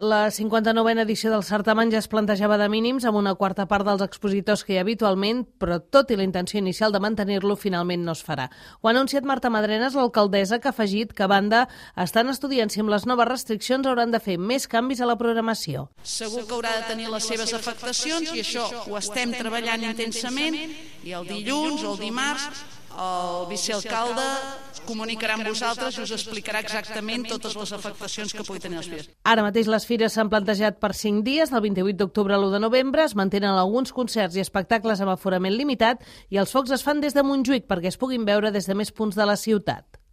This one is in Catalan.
La 59a edició del certamen ja es plantejava de mínims amb una quarta part dels expositors que hi ha habitualment, però tot i la intenció inicial de mantenir-lo, finalment no es farà. Ho ha anunciat Marta Madrenas, l'alcaldessa, que ha afegit que, a banda, estan estudiant si amb les noves restriccions hauran de fer més canvis a la programació. Segur que haurà de tenir les seves afectacions i això ho estem treballant intensament i el dilluns o el dimarts el vicealcalde comunicarà amb vosaltres i us explicarà exactament totes les afectacions que pugui tenir les fires. Ara mateix les fires s'han plantejat per 5 dies, del 28 d'octubre a l'1 de novembre, es mantenen alguns concerts i espectacles amb aforament limitat i els focs es fan des de Montjuïc perquè es puguin veure des de més punts de la ciutat.